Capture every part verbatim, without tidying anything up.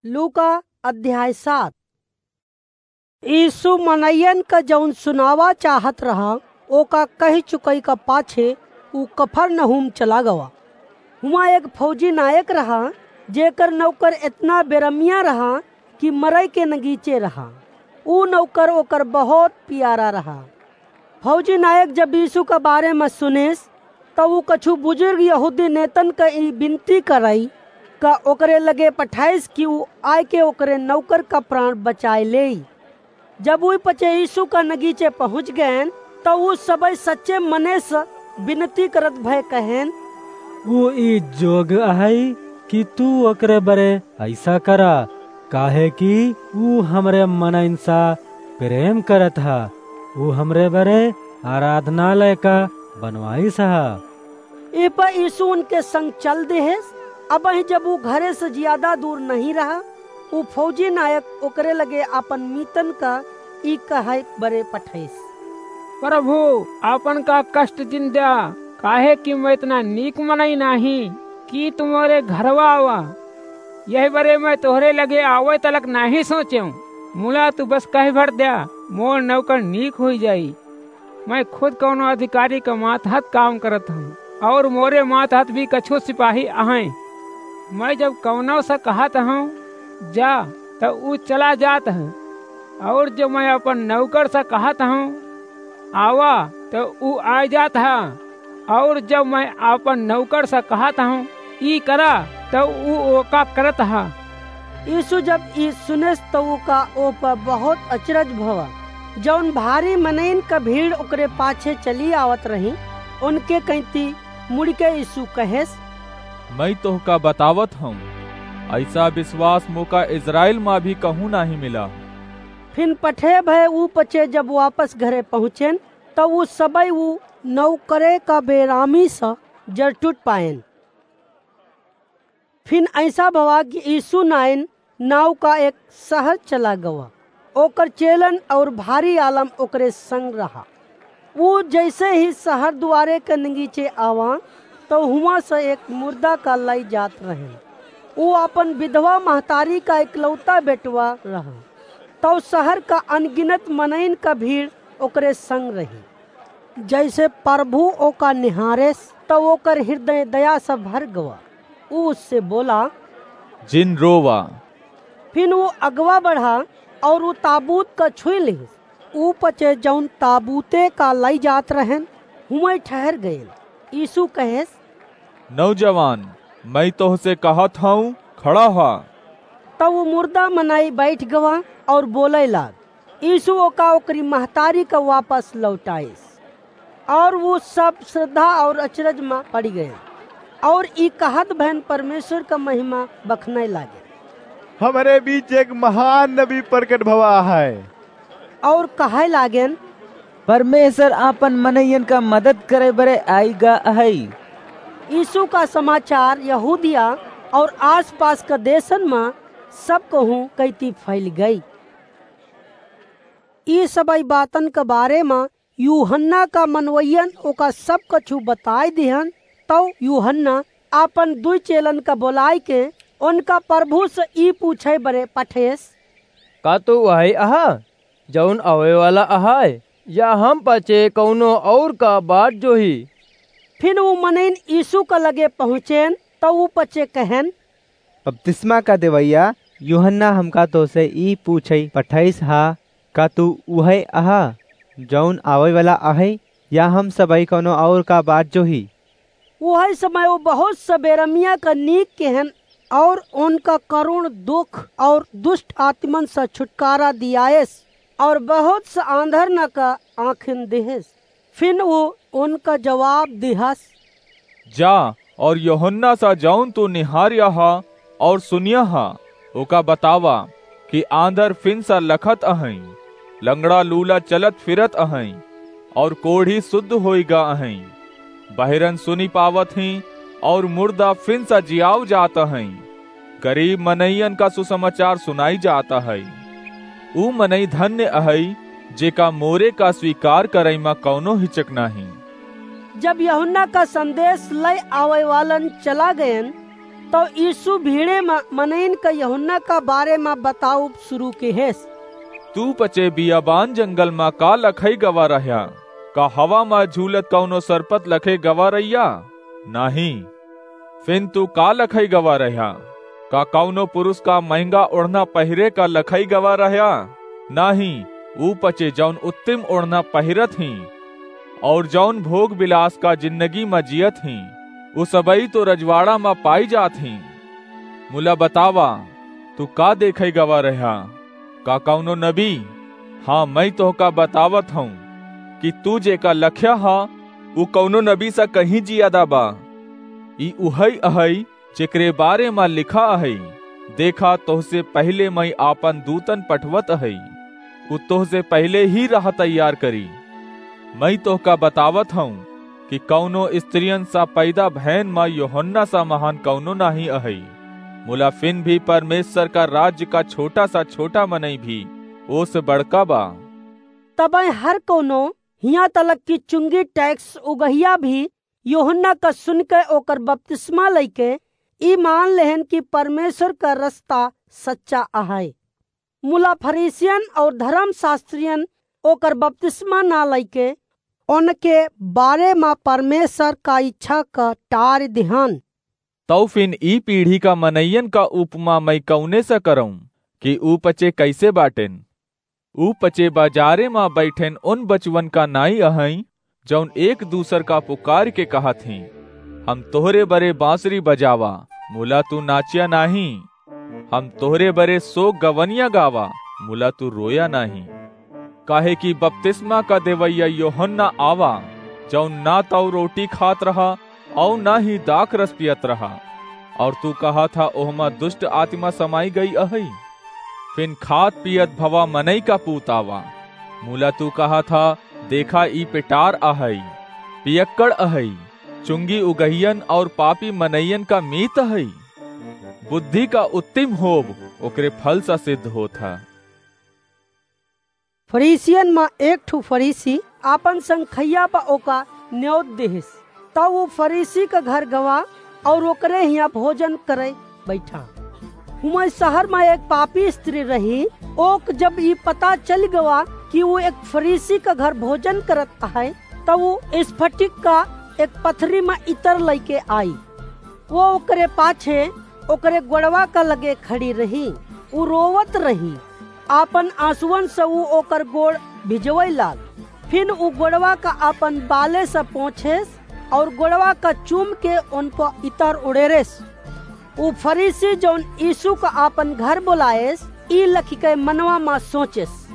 लूका अध्याय सात। यीशु मनइयन क जउन सुनावा चाहत रहा, ओका कहि चुकइ क पाछे ऊ कफरनहूम चला गवा। हुआं एक फौजी नायक रहा, जेकर नौकर एतना बेरमिया रहा कि मरइ के नगीचे रहा। ऊ नौकर ओकर बहुत पियारा रहा। फौजी नायक जब यीशु क बारे म सुनेस, त ऊ कछु बुजुर्ग यहूदी नेतन क ई बिनती करइ क ओकरे लगे पठाइस कि ऊ आइके ओकरे नौकर क प्राण बचाइ लेइ। जब ऊ पचे यीशु क नगीचे पहुँच गएन, त ऊ सबइ सच्चे मने स बिनती करत भए कहेन, "ऊ ई जोग अहइ कि तू ओकरे बरे अइसा करा, काहे कि ऊ हमरे मनइन सा प्रेम करत ह, ऊ हमरे बरे आराधनालय क बनवाइस ह।" एह पर यीशु उनके संग चल देहेस। अबहीं जब ऊ घरे से ज्यादा दूर नहीं रहा, ऊ फौजी नायक ओकरे लगे आपन मीतन क ई कहइ बरे पठइस, "प्रभु, आपन का कष्ट जिन द्या, काहे कि मैं एतना नीक मनई नाहीं कि तू मोरे घरवा आवा। यही बरे मैं तोहरे लगे आवइ तलक नाहीं सोचेंव। मुला तू बस कहि भर द्या, मोर नौकर नीक होइ जाई। मैं खुद कउनो अधिकारी क मातहत काम करत हूँ, अउर मोरे मातहत भी कछू सिपाही अहइँ। मैं जब कउनो स कहत हूँ, 'जा,' त ऊ चला जात ह, अउर जब मैं आपन नौकर स कहत हूँ, 'आवा,' त ऊ आइ जात ह, अउर जब मैं आपन नौकर स कहत हूँ, 'ई करा,' त ऊ ओका करत ह।" यीशु जब ई सुनेस, त ओका ओह पर बहुत अचरज भवा। जउन भारी मनइन क भीड़ ओकरे पाछे चली आवत रही, उनके कइती मुड़िके यीशु कहेस, "मैं तोहका बतावत हूँ, अइसा बिसवास मोका इस्राएल म भी कहूँ नाहीं मिला।" फिन पठे भए ऊ पचे जब वापस घरे पहुँचेन, त ऊ सबइ ऊ नौकरे क बेरामी स जरटुट पाएन। फिन अइसा भवा कि यीशु नाइन नाव का एक सहर चला गवा। ओकर चेलन अउर भारी आलम ओकरे संग रहा। ऊ जइसे ही सहर दुआरे क नगीचे आवा, तउ हुआं से एक मुर्दा का लइ जात रहेन। ऊ आपन विधवा महतारी का इकलौता बेटवा रहा। तउ सहर का अनगिनत मनइन का भीड़ ओकरे संग रही। जइसे प्रभु ओका निहारेस, तउ ओकर हृदय दया से भर गवा। ऊ उससे बोला, "जिन रोवा।" फिन ऊ अगवा बढ़ा अउर ऊ ताबूत का छुई लिहिस। ऊ पचे जउन ताबूते का लइ जात रहेन, हुआं ठहर गएन। यीशु कहेस, "नौजवान, मैं तोहसे कहत हूँ, खड़ा हा।" तब ऊ मुर्दा मनई बैठ गवा अउर बोलइ लाग। यीशु ओका ओकरी महतारी का वापस लौटाइस। अउर ऊ सब श्रद्धा अउर अचरज मा पड़ि गएन, अउर ई कहत भएन परमेश्वर का महिमा बखनइ लागेन। "हमरे बीच एक महान नबी प्रकट भवा है।" अउर कहइ लागेन, "परमेश्वर आपन मनइयन का मदद करइ बरे आइ गा अहइ।" यीशु का समाचार यहूदिया अउर आसपास का देशन मा सब कहूँ कइती फइल गइ। ई सबइ बातन का बारे मा यूहन्ना का मनवइयन ओका सब कछु बताइ दिहन। तउ यूहन्ना आपन दुइ चेलन का बोलाइके उनका प्रभु से ई पूछइ बरे पठेस, "का तू उहइ अहा, जउन आवइ वाला अहइ, या हम पचे कउनो अउर का बाट जोही?" फिन ऊ मनइन यीशु का लगे पहुँचेन, तउ ऊ पचे कहेन, "बपतिस्मा का देवइया यूहन्ना हमका तोसे ई पूछइ पठइस हा, का तू उहइ अहा, जउन आवइ वाला अहइ, या हम सबइ कउनो अउर का बाट जोही?" उहइ समय ऊ बहुत स बेरमिया का नीक केहेन, अउर उनका करुण दुख अउर दुष्ट आत्मन स छुटकारा दियाएस, अउर बहुत स आंधरन का आँखिन दिहेस। फिन ऊ उनका जवाब दिहस, "जा, अउर यूहन्ना सा जउन तू निहारिया हा अउर सुनिया हा, ओका बतावा कि आंधर फिन सा लखत अहइँ, लंगड़ा लूला चलत फिरत अहइँ, अउर कोढ़ी सुद्ध होइ गा अहइँ, बहिरन सुनि पावत हीं, अउर मुर्दा फिन सा जियाव जात अहइँ, गरीब मनइयन का सुसमाचार सुनाइ जात अहइ। ऊ मनई धन्य अहइ, जेका मोरे का स्वीकार करइ मा कउनो हिचक नाहीं।" जब यूहन्ना का संदेश लइ आवइ वालन चला गएन, तौ यीशु भीड़े मा मनइन का यूहन्ना का बारे मा बताउब सुरू किहेस। तू पचे बियाबान जंगल मा का लखई गवा रह्या? का हवा मा झूलत कउनो सरपत लखे गवा रह्या? नाहीं। फिन तू का लखई गवा रह्या? का कउनो पुरुष का महँगा ओढ़ना पहिरे का लखई गवा रह्या? नाहीं, ऊ पचे जउन उत्तिम ओढ़ना पहिरत हीं, अउर जउन भोग बिलास का जिन्नगी मा जियत हीं, ऊ सबई तो रजवाड़ा मा पाई जात हीं। मुला बतावा, तू का देखई गवा रह्या? का कउनो नबी? हाँ, मइँ तोहका बतावत हउँ कि तू जेका लख्या हा, ऊ कउनो नबी सा कहीं जियादा बा। ई उहई अहई, जेकरे बारे मा लिखा अहई, "देखा, तोहसे पहिले मइँ आपन दूतन पठवत अहई, ऊ तोहसे पहिले ही राह तैयार करी।" मइँ तोहका बतावत हउँ कि कउनो स्त्रियन सा पैदा भयन मा यूहन्ना सा महान कउनो नाहीं अहई। मुला फिन भी परमेश्वर का राज्य का छोटा सा छोटा मनई भी ओसे बड़का बा। तबइ हर कउनो, हियाँ तलक कि चुंगी टैक्स उगहिया भी, यूहन्ना का सुनके ओकर बपतिस्मा लइके ई मान लेहेन कि परमेश्वर का रस्ता सच्चा अहइ। मुला फरीसियन अउर धरमशास्त्रियन ओकर बपतिस्मा ना लइके ओनके बारे मा परमेश्वर का इच्छा का टारि दिहन। तउ फिन ई पीढ़ी का मनइयन का उपमा मइँ कउने सा करउँ कि ऊ पचे कइसे बाटेन? ऊ पचे बाजारे मा बइठेन ओन बचवन का नाईं अहइँ, जउन एक दूसर का पुकारिके कहत हीं, "हम तोहरे बरे बाँसुरी बजावा, मुला तू नाच्या नाहीं। हम तोहरे बरे सोक गवनिया गावा, मुला तू रोया नाहीं।" काहे कि बपतिस्मा का देवइया यूहन्ना आवा, जउन ना तउ रोटी खात रहा, अउर ना ही दाखरस पियत रहा, अउर तू कहत हा, "ओहमा दुष्ट आतिमा समाई गई अहइ।" फिन खात पियत भवा मनई का पूत आवा, मुला तू कहत हा, "देखा, ई पेटार अहइ, पियक्कड़ अहइ, चुंगी उगहियन अउर पापी मनइयन का मीत अहइ।" बुद्धि का उत्तिम होब ओकरे फल सा सिद्ध होत हा। फरीसियन मा एक ठु फरीसी आपन संग खइया प ओका न्योत दिहिस। तब ऊ फरीसी क घर गवा अउर ओकरे हियाँ भोजन करे बइठा। हुआँ शहर मा एक पापी स्त्री रही। ओक जब ई पता चलि गवा कि ऊ एक फरीसी क घर भोजन करत अहइ, तब ऊ स्फटिक का एक पथरी मा इतर लइके आई। वो ओकरे पाछे ओकरे गोड़वा का लगे खड़ी रही। ऊ रोवत रही, आपन आँसुअन से ऊ ओकर गोड़ भिजवइ लाग। फिन ऊ गोड़वा का आपन बाले से पोंछेस अउर गोड़वा का चूम के ओन प इतर उड़ेरेस। ऊ फरीसी जउन यीशु का आपन घर बोलाएस, ई लखिके मनवा मा सोचेस,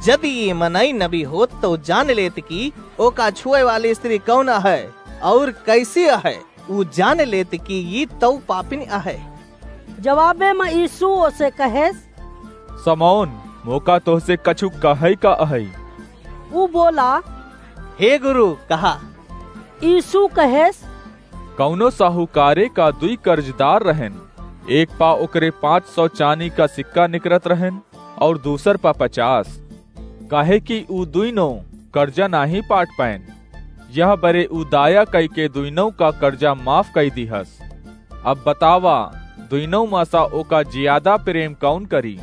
"जदि ई मनई नबी होत, तउ जान लेत कि ओका छुए वाली स्त्री कउन अहइ अउर कइसी अहइ। ऊ जान लेत कि ई तउ पापिन अहइ।" जवाबे मा यीशु ओसे कहेस, "समौन, मोका तोहसे कछु कहइ का अहइ।" ऊ बोला, "हे गुरु, कहा।" यीशु कहेस, कउनो साहूकारे का दुई कर्जदार रहेन, एक पा ओकरे पाँच सौ चानी का सिक्का निकरत रहेन, अउर दूसर पा पचास, काहे कि ऊ दुइनो कर्जा नाहीं पाट पाएन। यह बरे ऊ दाया कइके दुइनो का कर्जा माफ कइ दिहस। अब बतावा, दुइनो मा सा ओका जियादा प्रेम कउन करी?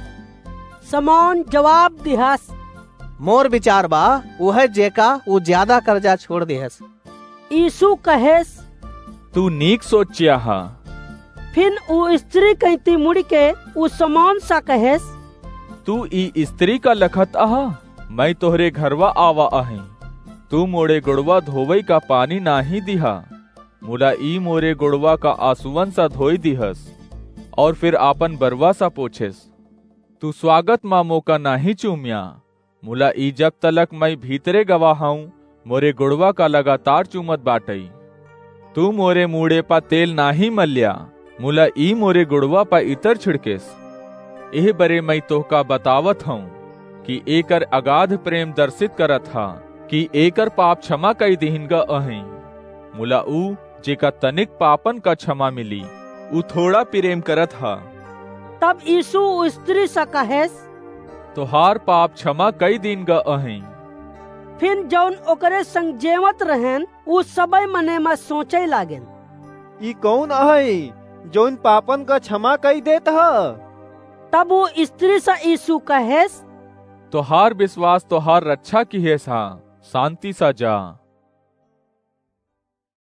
समौन जवाब दिहस, मोर बिचार बा, उहइ जेका ऊ जियादा कर्जा छोड़ दिहस। यीशु कहेस, तू नीक सोच्या हा। फिन ऊ स्त्री कइँती मुड़िके ऊ समौन सा कहेस, तू ई स्त्री का लखत अहा? मइँ तोहरे घरवा आवा अहइँ। तू मोरे गोड़वा धोवइ का पानी नाहीं दिहा, मुला ई मोरे गोड़वा का आँसुअन सा धोइ दिहस, अउर फिर आपन बरवा सा पोछेस। तू स्वागत मा मोका नाहीं चूम्या, मुला ई जब तलक मइँ भीतरे गवा हउँ, मोरे गोड़वा का लगातार चूमत बाटइ। तू मोरे मूड़े पा तेल नाहीं मल्या, मुला ई मोरे गोड़वा पा इतर छिड़केस। एह बरे मइँ तोहका बतावत हउँ कि एकर अगाध प्रेम दर्शित करत हा कि एकर पाप क्षमा कइ दिहिन ग अहइँ। मुला ऊ जेका तनिक पापन का क्षमा मिली, ऊ थोड़ा प्रेम करत हा। तब यीशु ऊ स्त्री सा कहेस, तोहार पाप क्षमा कइ दीन ग अहइँ। फिन जउन ओकरे संग जेवत रहेन, ऊ सबइ मने मा सोचइ लागेन, ई कउन अहइँ, जौन पापन क क्षमा कइ देत ह। तब उ स्त्री स यीसु कहेस, तोहार बिसवास तोहार रच्छा किहेस ह, सान्ति स जा।